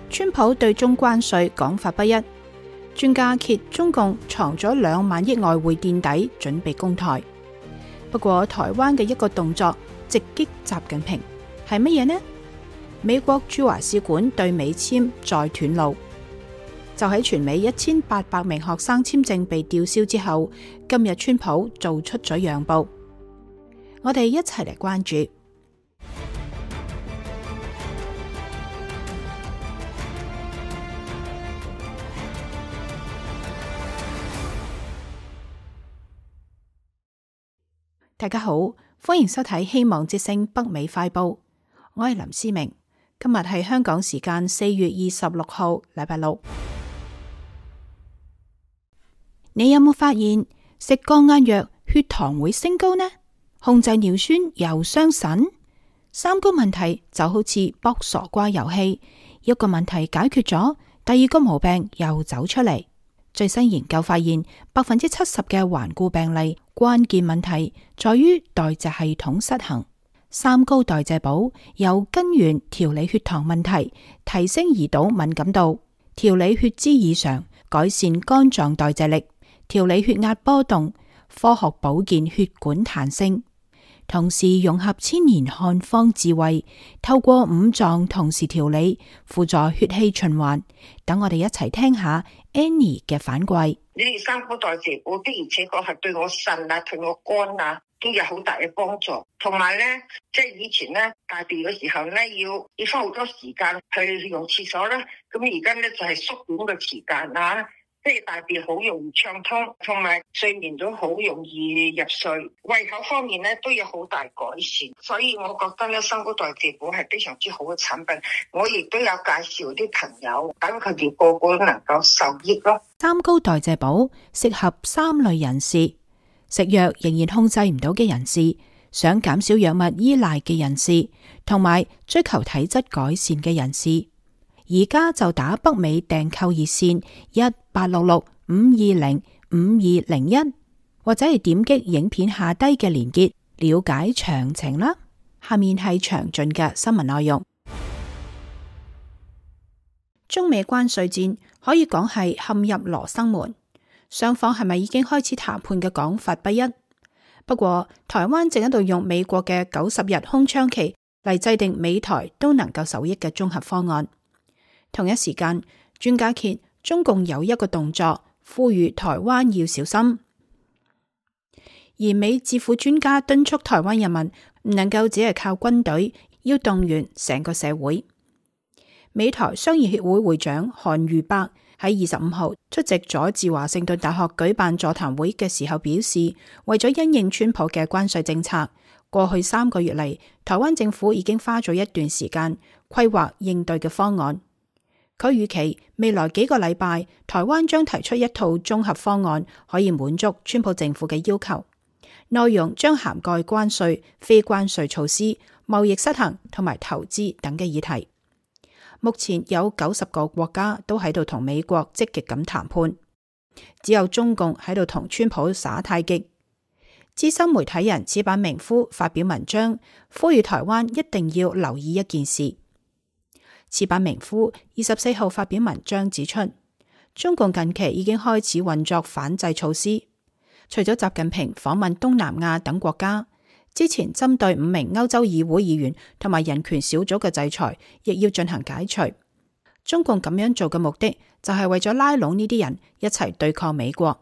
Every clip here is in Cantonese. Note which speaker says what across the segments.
Speaker 1: 川普對中關稅講法不一，專家揭中共藏咗2萬億外匯墊底，準備攻台。不過台灣嘅一個動作直擊習近平係乜嘢呢？美國駐華使館對美簽再斷路，就喺全美1800名學生簽證被吊銷之後，今日川普做出咗讓步。我哋一齊嚟關注。大家好，歡迎收睇希望之聲北美快報，我係林思明。今日係香港時間4月26號，禮拜六。你有冇發現食降壓藥血糖會升高呢？控制尿酸又傷腎？三高問題就好似卜傻瓜遊戲，一個問題解決咗，第二個毛病又走出嚟。最新研究發現，70%嘅頑固病例關鍵問題在於代謝系統失衡。三高代謝寶由根源調理血糖問題，提升胰島敏感度，調理血脂異常，改善肝臟代謝力，調理血壓波動，科學保健血管彈性，同時融合千年漢方智慧，透過5臟同時調理，輔助血氣循環。等我哋一齊聽下 Annie 嘅反饋。
Speaker 2: 你哋三高代謝寶的而且確係對我腎啊、對我肝啊都有好大嘅幫助。同埋咧，即係以前咧大便嘅時候咧，要花好多時間去用廁所啦。咁而家咧就係縮短個時間啊，即係大便好容易暢通，同埋睡眠都好容易入睡。胃口方面咧都有好大改善，所以我覺得咧三高代謝寶係非常之好嘅產品。我亦都有介紹啲朋友，等佢哋個個都能夠受益咯。
Speaker 1: 三高代謝寶適合3類人士：食藥仍然控制唔到嘅人士，想減少藥物依賴嘅人士，同埋追求體質改善嘅人士。而家就打北美訂購熱線1866-520-5201，或者係點擊影片下低嘅連結了解詳情啦。下面係詳盡嘅新聞內容。中美關稅戰可以講係陷入羅生門，雙方係咪已經開始談判嘅講法不一。不過台灣正喺度用美國嘅90日空窗期嚟制定美台都能夠受益嘅綜合方案。同一時間，專家揭中共有一個動作，呼籲台灣要小心。而美智庫專家敦促台灣人民唔能夠只係靠軍隊，要動員成個社會。美台商業協會會長韓瑜伯喺25號出席佐治華盛頓大學舉辦座談會嘅時候表示，為咗因應川普嘅關稅政策，過去3個月嚟，台灣政府已經花咗一段時間規劃應對嘅方案。佢預期未來幾個禮拜，台灣將提出一套綜合方案，可以滿足川普政府嘅要求。內容將涵蓋關稅、非關稅措施、貿易失衡同埋投資等嘅議題。目前有90個國家都喺度同美國積極咁談判，只有中共喺度同川普耍太極。資深媒體人矢板明夫發表文章，呼籲台灣一定要留意一件事。矢板明夫24號發表文章指出，中共近期已經開始運作反制措施，除咗習近平訪問東南亞等國家，之前針對5名歐洲議會議員同埋人權小組嘅制裁，亦要進行解除。中共咁樣做嘅目的就係為咗拉攏呢啲人一齊對抗美國，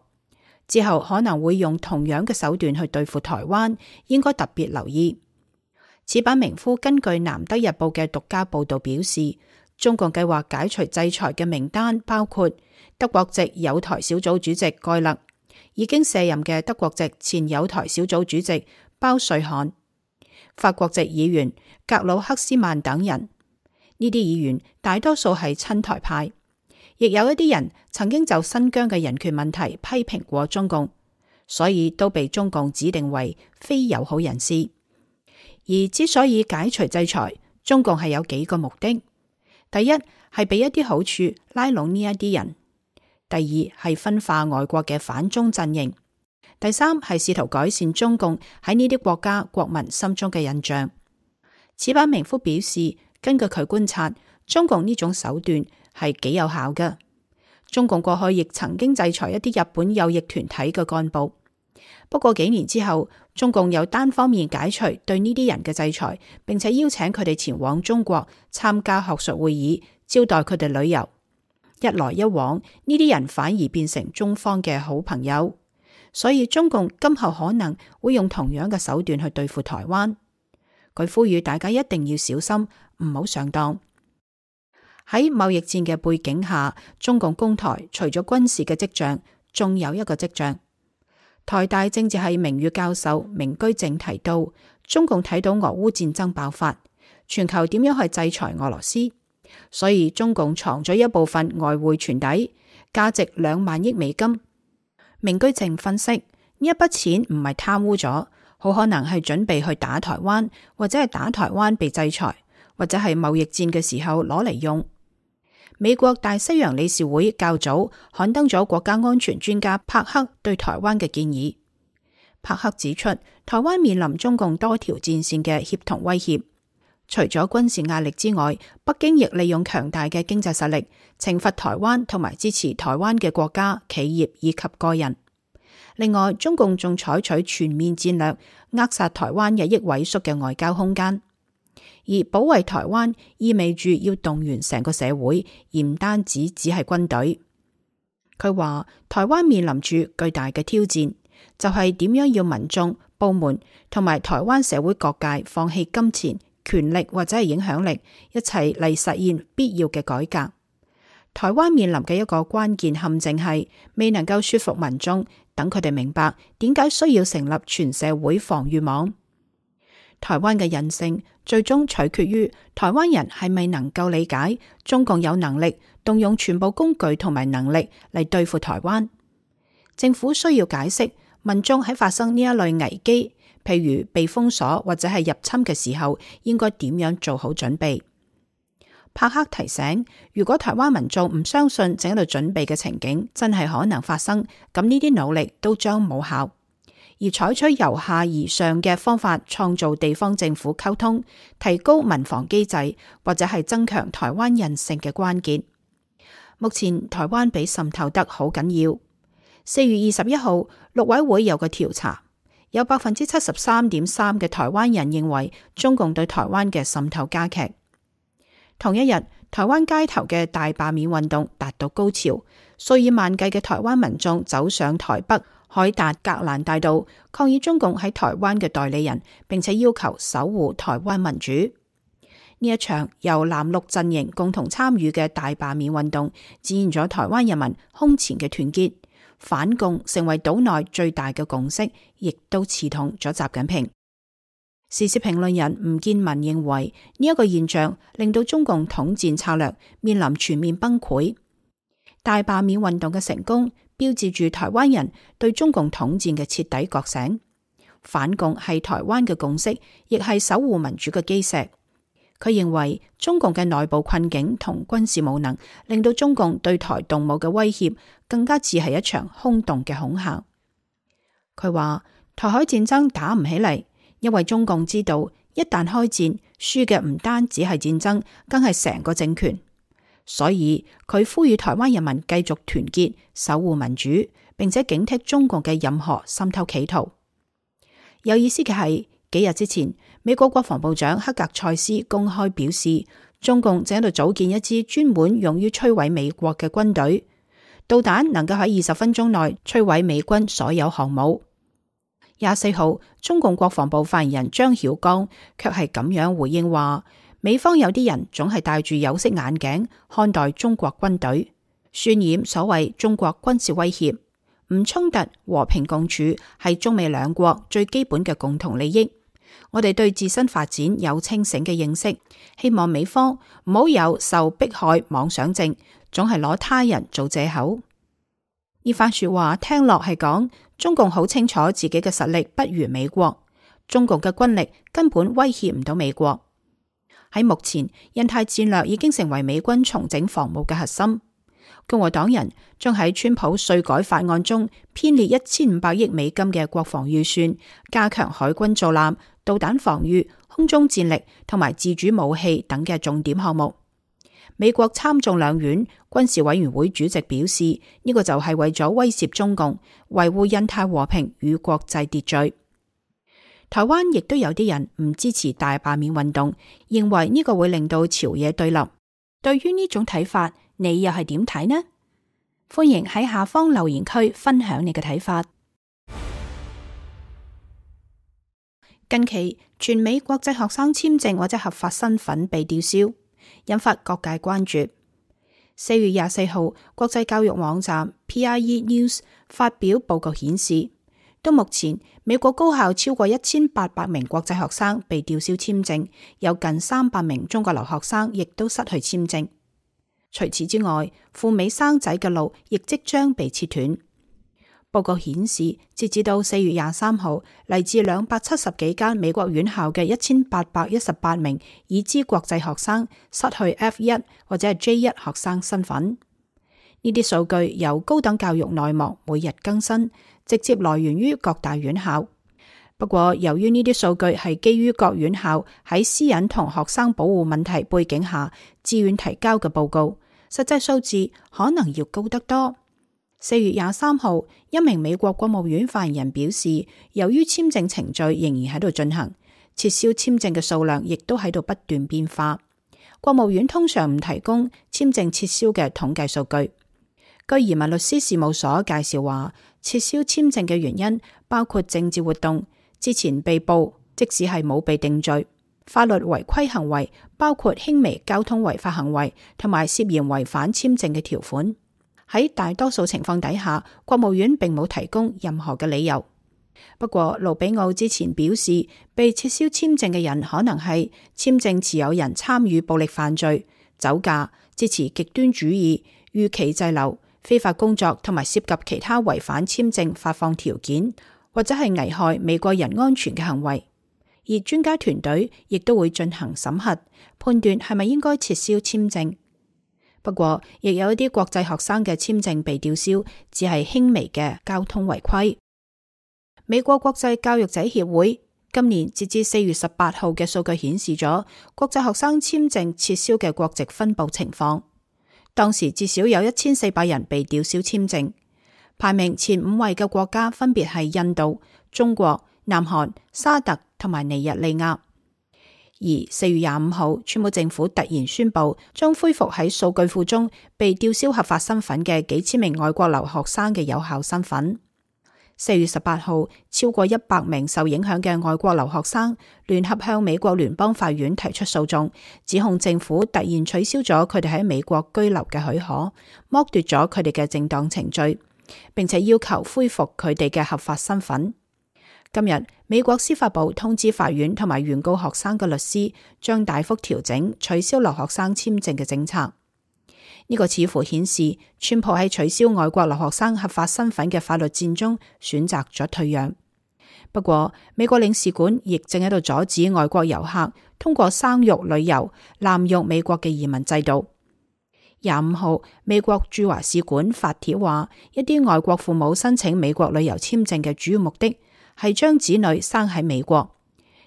Speaker 1: 之後可能會用同樣嘅手段去對付台灣，應該特別留意。矢板明夫根據南德日報嘅獨家報道表示，中共計劃解除制裁嘅名單包括德國籍友台小組主席蓋勒，已經卸任嘅德國籍前友台小組主席包瑞漢，法國籍議員格魯克斯曼等人。呢啲議員大多數係親台派，亦有一啲人曾經就新疆嘅人權問題批評過中共，所以都被中共指定為非友好人士。而之所以解除制裁，中共係有幾個目的：第一係俾一啲好處拉攏呢一啲人；第二係分化外國嘅反中陣營；第三係試圖改善中共喺呢啲國家國民心中嘅印象。矢板明夫表示，根據佢觀察，中共呢種手段係幾有效嘅。中共過去亦曾經制裁一啲日本右翼團體嘅幹部，不過幾年之後，中共又單方面解除對呢啲人嘅制裁，並且邀請佢哋前往中國參加學術會議，招待佢哋旅遊。一來一往，呢啲人反而變成中方嘅好朋友，所以中共今後可能會用同樣嘅手段去對付台灣。佢呼籲大家一定要小心，唔好上當。喺貿易戰嘅背景下，中共攻台除咗軍事嘅跡象，仲有一個跡象。台大政治系名譽教授明居正提到，中共睇到俄烏戰爭爆發，全球點樣去制裁俄羅斯，所以中共藏咗一部分外匯存底，價值2萬億美金。明居正分析，呢一筆錢唔係貪污咗，好可能係準備去打台灣，或者係打台灣被制裁，或者係貿易戰嘅時候攞嚟用。美國大西洋理事會較早刊登咗國家安全專家帕克對台灣嘅建議。帕克指出，台灣面臨中共多條戰線嘅協同威脅，除咗軍事壓力之外，北京亦利用強大嘅經濟實力懲罰台灣同埋支持台灣嘅國家、企業以及個人。另外，中共仲採取全面戰略，扼殺台灣日益萎縮嘅外交空間。而保衛台灣意味住要動員成個社會，而唔單只係軍隊。佢話台灣面臨住巨大嘅挑戰，就係點樣要民眾、部門同埋台灣社會各界放棄金錢、權力或者係影響力，一齊嚟實現必要嘅改革。台灣面臨嘅一個關鍵陷阱係未能夠說服民眾，等佢哋明白點解需要成立全社會防禦網。台灣嘅人性最終取決於台灣人係咪能夠理解中共有能力動用全部工具同埋能力嚟對付台灣。政府需要解釋民眾喺發生呢一類危機，譬如被封鎖或者係入侵嘅時候，應該點樣做好準備。帕克提醒，如果台灣民眾唔相信正喺度準備嘅情景真係可能發生，咁呢啲努力都將冇效。而採取由下而上嘅方法，創造地方政府溝通、提高民防機制，或者係增強台灣人性嘅關鍵。目前台灣被滲透得好緊要。4月21號，陸委會有個調查，有73.3%嘅台灣人認為中共對台灣嘅滲透加劇。同一日，台灣街頭嘅大罷免運動達到高潮，數以萬計嘅台灣民眾走上台北凱達格蘭大道，抗議中共喺台灣嘅代理人，並且要求守護台灣民主。呢一場由藍綠陣營共同參與嘅大罷免運動，展現咗台灣人民空前嘅團結，反共成為島內最大嘅共識，亦都刺痛咗習近平。時事評論人吳建民認為，呢一個現象令到中共統戰策略面臨全面崩潰。大罷免運動嘅成功，標誌住台灣人對中共統戰嘅徹底覺醒。反共係台灣嘅共識，亦係守護民主嘅基石。佢認為中共嘅內部困境同軍事無能，令到中共對台動武嘅威脅更加似係一場空洞嘅恐嚇。佢話台海戰爭打唔起嚟，因為中共知道一旦開戰，輸嘅唔單止係戰爭，更係成個政權。所以佢呼籲台灣人民繼續團結，守護民主，並且警惕中共嘅任何滲透企圖。有意思嘅係，幾日之前，美國國防部長克格塞斯公開表示，中共正喺度組建一支專門用於摧毀美國嘅軍隊，導彈能夠喺20分鐘內摧毀美軍所有航母。24號，中共國防部發言人張曉剛卻係咁樣回應話，美方有啲人總係戴住有色眼鏡看待中國軍隊，渲染所謂中國軍事威脅。唔衝突、和平共處係中美兩國最基本嘅共同利益。我哋對自身發展有清醒嘅認識，希望美方唔好有受迫害妄想症，總係攞他人做借口。呢番說話聽落係講中共好清楚自己嘅實力不如美國，中共嘅軍力根本威脅唔到美國。喺目前，印太戰略已經成為美軍重整防務嘅核心。共和黨人將喺川普稅改法案中編列1500億美金嘅國防預算，加強海軍造艦、導彈防禦、空中戰力同埋自主武器等嘅重點項目。美國參眾兩院軍事委員會主席表示，呢個就係為咗威懾中共，維護印太和平與國際秩序。台灣亦都有啲人唔支持大罷免運動，認為呢個會令到朝野對立。對於呢種睇法，你又係點睇呢？歡迎喺下方留言區分享你嘅睇法。近期，全美國際學生簽證或者合法身份被吊銷，引發各界關注。4月24號，國際教育網站 PIE News 發表報告顯示，到目前，美國高校超過1800名國際學生被吊銷簽證，有近300名中國留學生亦都失去簽證。除此之外，赴美生仔嘅路亦即將被切斷。報告顯示，截至到4月23號，嚟自270幾間美國院校嘅1818名已知國際學生失去 F1 或者係 J1 學生身份。呢啲數據由高等教育內幕每日更新，直接來源於各大院校。不過，由於呢啲數據係基於各院校喺私隱同學生保護問題背景下自願提交嘅報告，實際數字可能要高得多。4月23號，一名美國國務院發言人表示，由於簽證程序仍然喺度進行，撤銷簽證嘅數量亦都喺度不斷變化。國務院通常唔提供簽證撤銷嘅統計數據。據移民律師事務所介紹話，撤銷簽證嘅原因包括政治活動、之前被捕，即使係冇被定罪；法律違規行為，包括輕微交通違法行為，同埋涉嫌違反簽證嘅條款。喺大多數情況底下，國務院並冇提供任何嘅理由。不過，盧比奧之前表示，被撤銷簽證嘅人可能係簽證持有人參與暴力犯罪、酒駕、支持極端主義、逾期滯留、非法工作同埋涉及其他違反簽證發放條件或者係危害美國人安全嘅行為。而專家團隊亦都會進行審核，判斷係咪應該撤銷簽證。不過，亦有一啲國際學生嘅簽證被吊銷，只係輕微嘅交通違規。美國國際教育者協會今年截至4月18號嘅數據顯示咗國際學生簽證撤銷嘅國籍分佈情況。當時至少有1400人被吊銷簽證，排名前5位嘅國家分別係印度、中國、南韓、沙特同埋尼日利亞。而4月25號，川普政府突然宣布將恢復喺數據庫中被吊銷合法身份嘅幾千名外國留學生嘅有效身份。4月18號，超過100名受影響嘅外國留學生聯合向美國聯邦法院提出訴訟，指控政府突然取消咗佢哋喺美國居留嘅許可，剝奪咗佢哋嘅正當程序，並且要求恢復佢哋嘅合法身份。今日，美國司法部通知法院同埋原告學生嘅律師，將大幅調整取消留學生簽證嘅政策。呢個似乎顯示，川普喺取消外國留學生合法身份嘅法律戰中選擇咗退讓。不過，美國領事館亦正喺度阻止外國遊客通過生育旅遊濫用美國嘅移民制度。25號，美國駐華使館發帖話，一啲外國父母申請美國旅遊簽證嘅主要目的係將子女生喺美國，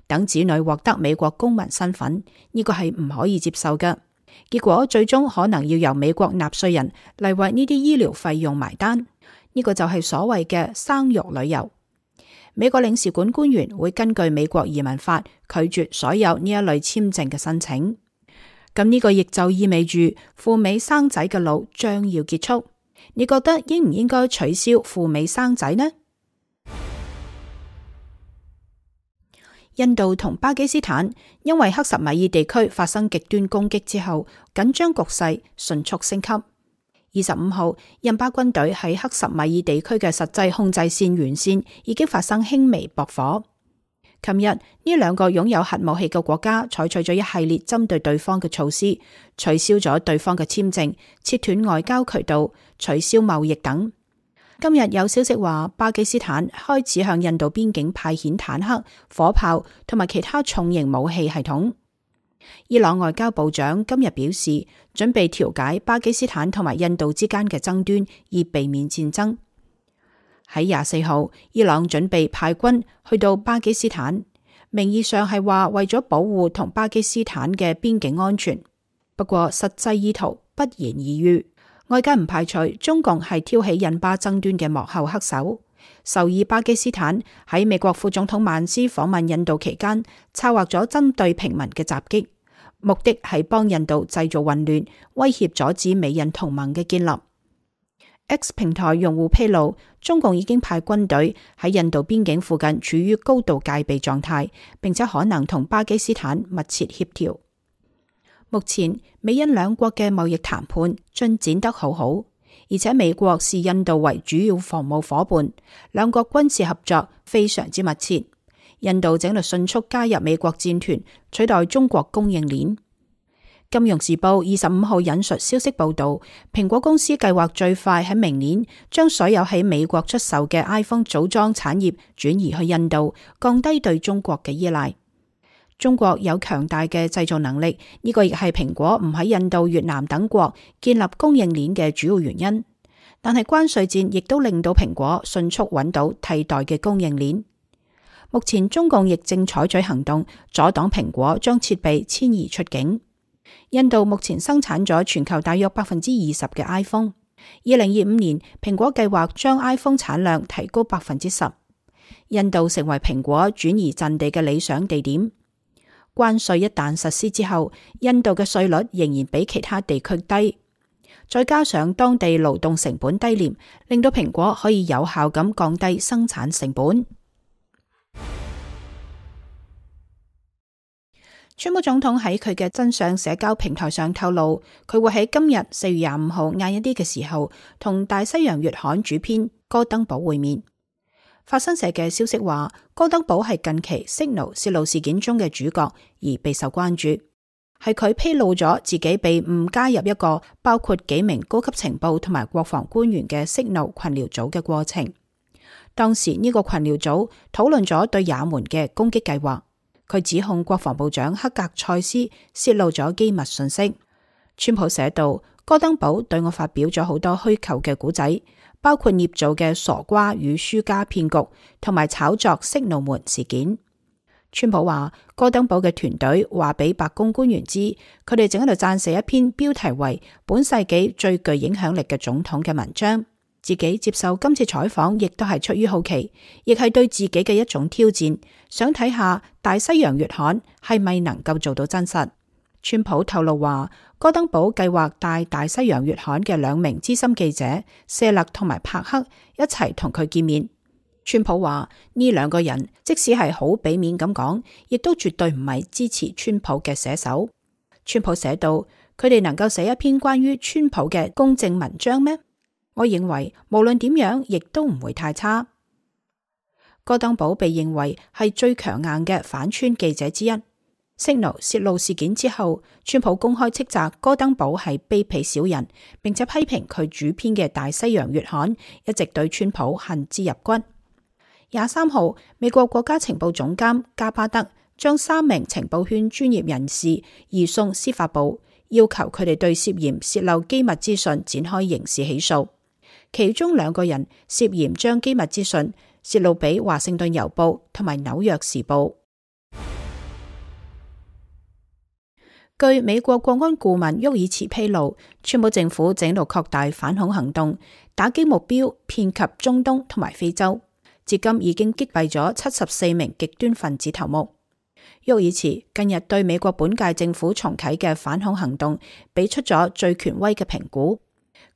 Speaker 1: 等子女獲得美國公民身份，呢個係唔可以接受嘅。結果最終可能要由美國納稅人嚟為呢啲醫療費用埋單，呢個就係所謂嘅生育旅遊。美國領事館官員會根據美國移民法拒絕所有呢一類簽證嘅申請。咁呢個亦就意味住赴美生仔嘅路將要結束。你覺得應唔應該取消赴美生仔呢？印度同巴基斯坦因為克什米爾地區發生極端攻擊之後，緊張局勢迅速升級。25號，印巴軍隊喺克什米爾地區嘅實際控制線沿線已經發生輕微駁火。琴日，呢兩個擁有核武器嘅國家採取咗一系列針對對方嘅措施，取消咗對方嘅簽證，切斷外交渠道，取消貿易等。今日有消息話，巴基斯坦開始向印度邊境派遣坦克、火炮同埋其他重型武器系統。伊朗外交部長今日表示，準備調解巴基斯坦同埋印度之間嘅爭端，以避免戰爭。喺24號，伊朗準備派軍去到巴基斯坦，名義上係話為咗保護同巴基斯坦嘅邊境安全。不過實際意圖不言而喻，外界唔排除中共係挑起印巴爭端嘅幕後黑手。首爾巴基斯坦喺美國副總統曼斯訪問印度期間，策劃咗針對平民嘅襲擊，目的係幫印度製造混亂，威脅阻止美印同盟嘅建立。X 平台用戶披露，中共已經派軍隊喺印度邊境附近處於高度戒備狀態，並且可能同巴基斯坦密切協調。目前美印兩國嘅貿易談判進展得好好，而且美國視印度為主要防務夥伴，兩國軍事合作非常之密切。印度正喺度迅速加入美國戰團，取代中國供應鏈。金融時報25號引述消息報道，蘋果公司計劃最快喺明年將所有喺美國出售嘅 iPhone 組裝產業轉移去印度，降低對中國嘅依賴。中國有強大嘅製造能力，呢個亦係蘋果唔喺印度、越南等國建立供應鏈嘅主要原因。但係關稅戰亦都令到蘋果迅速揾到替代嘅供應鏈。目前中共亦正採取行動，阻擋蘋果將設備遷移出境。印度目前生產咗全球大約20%嘅 iPhone。2025年，蘋果計劃將 iPhone 產量提高10%。印度成為蘋果轉移陣地嘅理想地點。關稅一旦實施之後，印度嘅稅率仍然比其他地區低，再加上當地勞動成本低廉，令到蘋果可以有效咁降低生產成本。川普總統喺佢嘅真相社交平台上透露，佢會喺今日4月25號晏一啲嘅時候，同大西洋月刊主編戈登堡會面。法新社嘅消息話，戈登堡係近期 Signal 洩露事件中嘅主角，而備受關注。係佢披露咗自己被誤加入一個包括幾名高級情報同埋國防官員嘅 Signal 群聊組嘅過程。當時呢個群聊組討論咗對也門嘅攻擊計劃。佢指控國防部長克格塞斯洩露咗機密信息。川普寫道，戈登堡對我發表咗好多虛構嘅故仔，包括捏造嘅傻瓜與輸家騙局，同埋炒作息怒門事件。川普話，戈登堡嘅團隊話俾白宮官員知，佢哋正喺度撰寫一篇標題為《本世紀最具影響力嘅總統》嘅文章。自己接受今次採訪，亦都係出於好奇，亦係對自己嘅一種挑戰，想睇下大西洋月刊係咪能夠做到真實。川普透露話，戈登堡計劃帶大西洋月刊嘅2名資深記者謝勒同埋帕克一齊同佢見面。川普話呢2個人即使係好俾面咁講，亦都絕對唔係支持川普嘅寫手。川普寫道，佢哋能夠寫一篇關於川普嘅公正文章咩？我認為無論點樣，亦都唔會太差。戈登堡被認為係最強硬嘅反川記者之一。Signal 洩露事件之後，川普公開斥責戈登堡係卑鄙小人，並且批評佢主編嘅大西洋月刊一直對川普恨之入骨。23號，美國國家情報總監加巴德將3名情報圈專業人士移送司法部，要求佢哋對涉嫌洩漏機密資訊展開刑事起訴。其中2個人涉嫌將機密資訊洩露俾華盛頓郵報同埋紐約時報。據美國國安顧問沃爾茨披露，川普政府正喺度擴大反恐行動，打擊目標遍及中東同埋非洲，至今已經擊斃咗74名極端分子頭目。沃爾茨近日對美國本屆政府重啟嘅反恐行動俾出咗最權威嘅評估。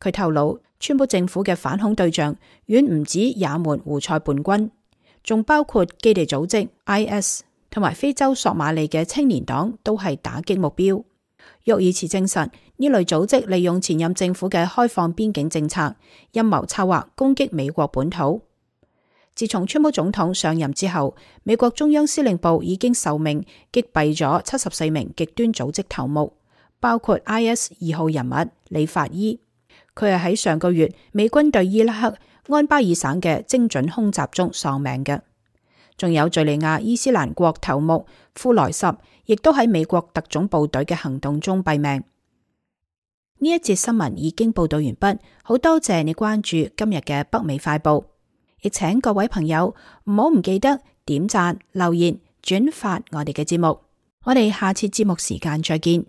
Speaker 1: 佢透露，川普政府嘅反恐對象遠唔止也門胡塞叛軍，仲包括基地組織 IS 同埋非洲索馬里嘅青年黨都係打擊目標。沃爾茨證實，呢類組織利用前任政府嘅開放邊境政策，陰謀策劃攻擊美國本土。自從川普總統上任之後，美國中央司令部已經受命擊斃咗74名極端組織頭目，包括 IS 2號人物李法伊。佢係喺上個月美軍對伊拉克安巴爾省嘅精準空襲中喪命嘅。仲有敘利亞伊斯蘭國頭目庫萊什，亦都喺美國特種部隊嘅行動中斃命。呢一節新聞已經報道完畢，好多謝你關注今日嘅北美快報，亦請各位朋友唔記得點讚、留言、轉發我哋嘅節目。我哋下次節目時間再見。